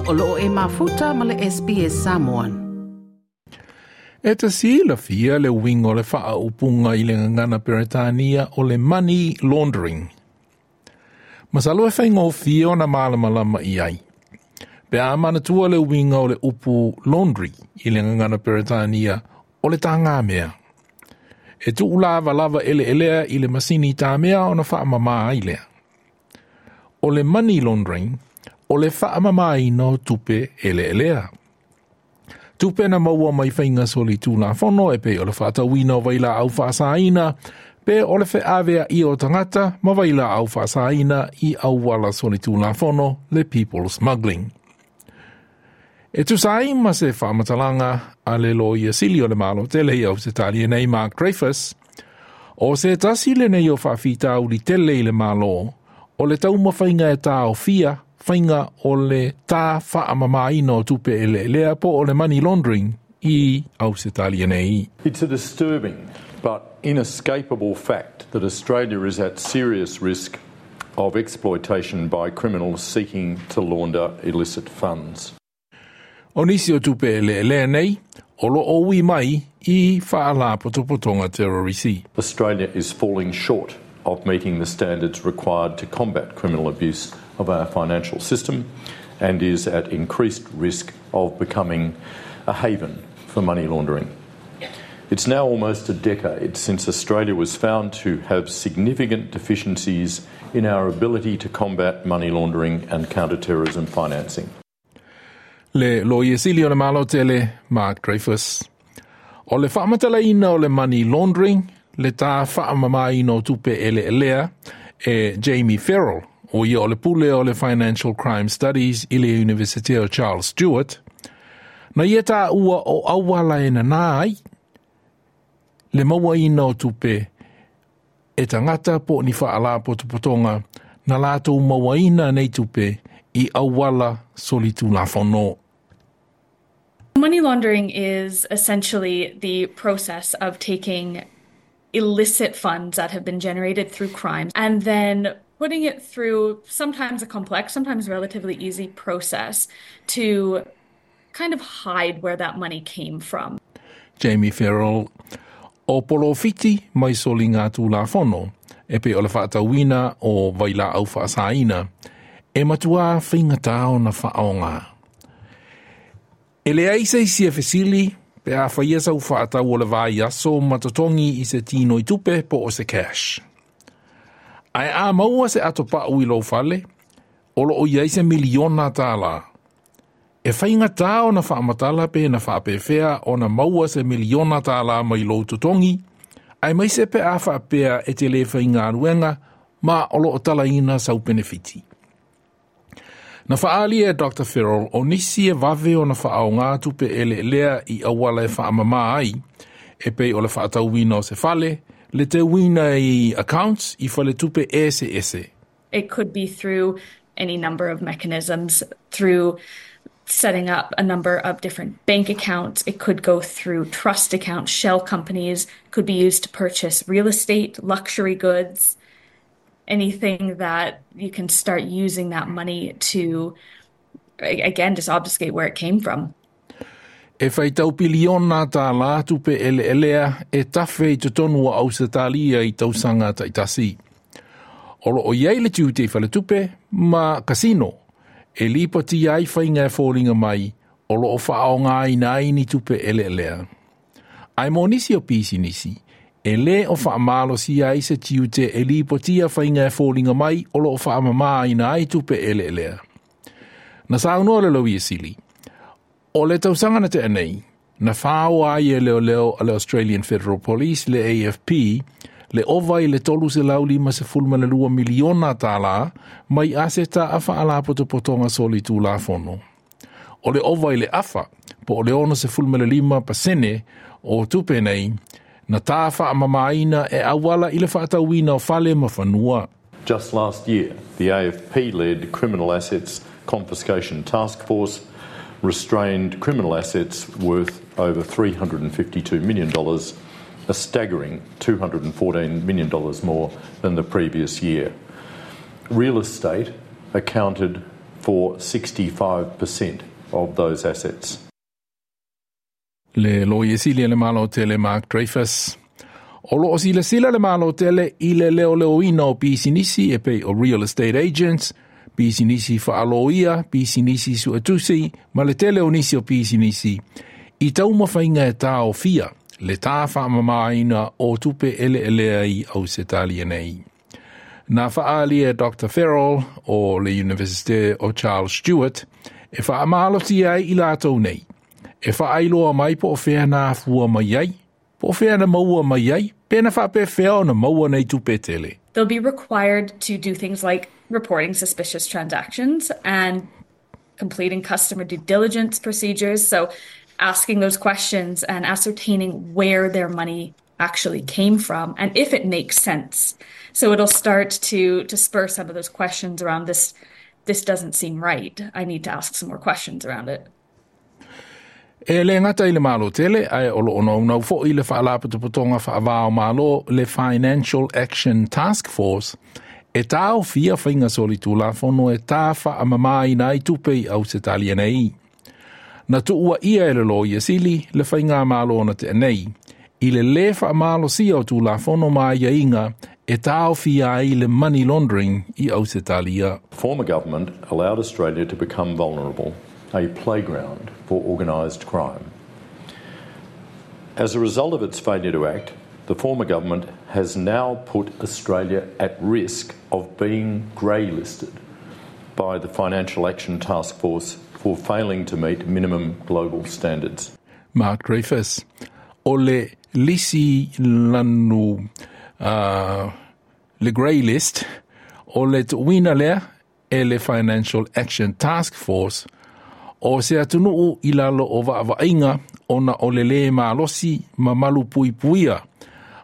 O loo e mafuta ma le SBS Samoan. E te silafia le uiga o le faaupuga i le gagana Peretania o le money laundering. Masalo e faigofie ona malamalama i ai. Pe a manatua le uiga o le upu laundry i le gagana Peretania o le tagamea. E tuulavalava eleelea i le masini tamea ona faamamā ai lea. O le money laundering, o le faamamāina o tupe eleelea. Tupe na maua mai faiga solitulafono e pei o le faatauina o vailaau faasaina, pe o le feaveaia o tagata ma vailaau faasaina i auala solitulafono le people smuggling. E tusa ai ma se faamatalaga a le Loia Sili o le Malo tele i Ausetalia nei Mark Dreyfus, o se tasi lenei o faafitauli tele i le Malo, o le taumafaiga e taofia faiga o le tā faamamāina o tupe eleelea po o le money laundering i Ausetalia nei. It's a disturbing but inescapable fact that Australia is at serious risk of exploitation by criminals seeking to launder illicit funds. O nisi o tupe eleelea nei, o loo ui mai i faalapotopotoga terorisi. Australia is falling short of meeting the standards required to combat criminal abuse of our financial system and is at increased risk of becoming a haven for money laundering. It's now almost a decade since Australia was found to have significant deficiencies in our ability to combat money laundering and counter-terrorism financing. Le Loia Sili o le Malo tele Mark Dreyfus. O le faamatalaina o le money laundering, le tā faamamāina o tupe eleelea e Jamie Farrell, o ia o le pule o le Financial Crime Studies i le Universite o Charles Stewart, na ia taua o auala e nanā ai le mauaina o tupe e tagata po o ni faalapotopotoga na latou mauaina nei tupe i auala solitulafono. Money laundering is essentially the process of taking illicit funds that have been generated through crime and then putting it through sometimes a complex, sometimes relatively easy process to kind of hide where that money came from. Jamie Farrell o polofiti mai soligatulafono e pei o le faatauina o vailaau faasaina e matuā faigata ona faaaogā. E leai se isi e fesili pe a faia sau faatau o le vaiaso ma totogi i se tinoitupe po o se cash. Ae a maua se atopau i lou fale, o loo i ai se miliona tālā. E faigata ona faamatala pe na faapefea ona maua se miliona tālā mai lou totogi, aemaise pe a faapea e te le faigaluega ma o loo talaina sau penefiti. Na faaali e Dr. Farrell o nisi e vave ona faaaogā tupe eleelea i auala e faamamā ai, e pei o le faatauina o se fale, le teuina i accounts i faletupe eseese. It could be through any number of mechanisms, through setting up a number of different bank accounts. It could go through trust accounts, shell companies, could be used to purchase real estate, luxury goods, anything that you can start using that money to, again, just obfuscate where it came from. E faitau piliona tālā tupe eleelea e tafe i totonu o Ausetalia i tausaga taitasi. O loo i ai le tiute i faletupe ma kasino e lipotia ai faiga e foliga mai o loo faaaogāina ai ni tupe eleelea. Ae mo nisi o pisinisi, e lē o faamalosia ai se tiute e lipotia faiga e foliga mai o loo faamamāina ai tupe eleelea. Na saunoa le Loia Sili, o le tausaga na tea nei, na faoa ai e leoleo a le Australian Federal Police le AFP le ova i le 352 miliona tālā mai aseta a faalapotopotoga solitulafono. O le ova i le afa, po o le 65% o tupe nei, na tā faamamāina e auala i le faatauina o fale ma fanua. Just last year, the AFP-led Criminal Assets Confiscation Task Force restrained criminal assets worth over $352 million, a staggering $214 million more than the previous year. Real estate accounted for 65% of those assets. Le Loia Sili a le Malo Tele Mark Dreyfus. O loo silasila le Malo Tele i le leoleoina o pisinisi e pei o real estate agents, pisinisi faaloia, pisinisi suetusi, ma le tele o nisi o pisinisi, i taumafaiga e taofia le tā faamamaina o tupe eleelea i Ausetalia nei. Na faaali e Dr. Farrell o le Universite o Charles Stewart e faamalosia ai i latou nei. E faailoa mai po o fea na afua mai ai, po o fea na maua mai ai, pe na faapefea ona maua nei tupe tele. They'll be required to do things like reporting suspicious transactions and completing customer due diligence procedures. So asking those questions and ascertaining where their money actually came from and if it makes sense. So it'll start to spur some of those questions around this doesn't seem right. I need to ask some more questions around it. E le gata i le Malo Tele, ae o loo naunau foi le Faalapotopotoga Faava o Malo le Financial Action Task Force e taofia faiga solitulafono e tā faamamaina ai tupe i Ausetalia nei. Na tuuaia e le Loia Sili le faigamalo na tea nei, i le lē faamalosia o tulafono ma aiaiga e taofia ai le money laundering i Ausetalia. Former government allowed Australia to become vulnerable, a playground for organised crime. As a result of its failure to act, the former government has now put Australia at risk of being grey-listed by the Financial Action Task Force for failing to meet minimum global standards. Mark Dreyfus, o le lisi lanu le grey list, o le tuuina lea e le Financial Action Task Force, o se atunuu i lalo o vaavaaiga ona o le lē malosi ma malupuipuia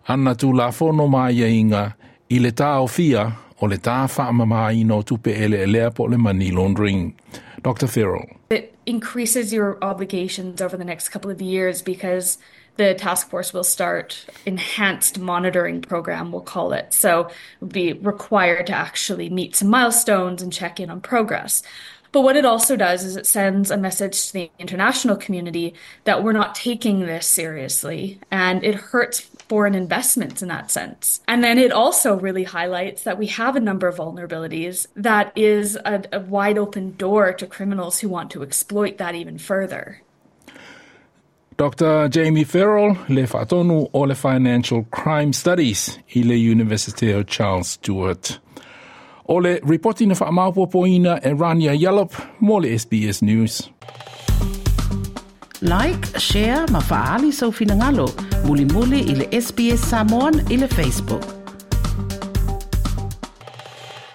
ana tulafono ma aiaiga i le taofia o le tā faamamaina o tupe eleelea po o le money laundering. Dr. Farrell. It increases your obligations over the next couple of years because the task force will start enhanced monitoring program, we'll call it. So we'll be required to actually meet some milestones and check in on progress. But what it also does is it sends a message to the international community that we're not taking this seriously, and it hurts foreign investments in that sense. And then it also really highlights that we have a number of vulnerabilities that is a wide open door to criminals who want to exploit that even further. Dr. Jamie Farrell, le faatonu o le Financial Crime Studies i le University of Charles Stewart. O le ripoti na faamaopoopoina e Rania Yallop mo le SBS News. Like, share ma faaali sou finagalo. Mulimuli i le SBS Samoan i le Facebook.